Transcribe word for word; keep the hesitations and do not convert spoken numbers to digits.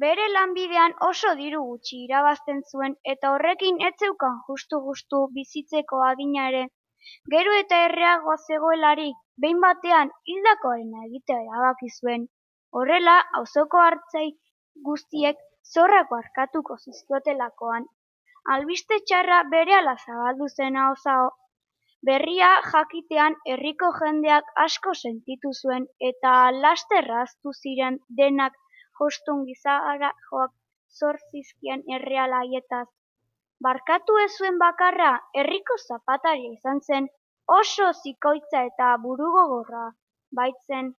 Bere lanbidean oso diru gutxi irabazten zuen eta horrekin ez zeukan justu-justu bizitzeko adina ere. Gero eta erreago zegoelarik, behin batean hildakoarena egitea erabaki zuen. Horrela, auzoko artzai guztiek zorrak barkatuko zizkiotelakoan, albiste txarra berehala zabaldu zen ahoz aho. Berria jakitean herriko jendeak asko sentitu zuen eta laster ahaztu ziren denak jostun gizarajoak zor zizkien erreal haietaz. Barkatu ez zuen bakarra herriko zapataria izan zen, oso zikoitza eta burugogorra baitzen.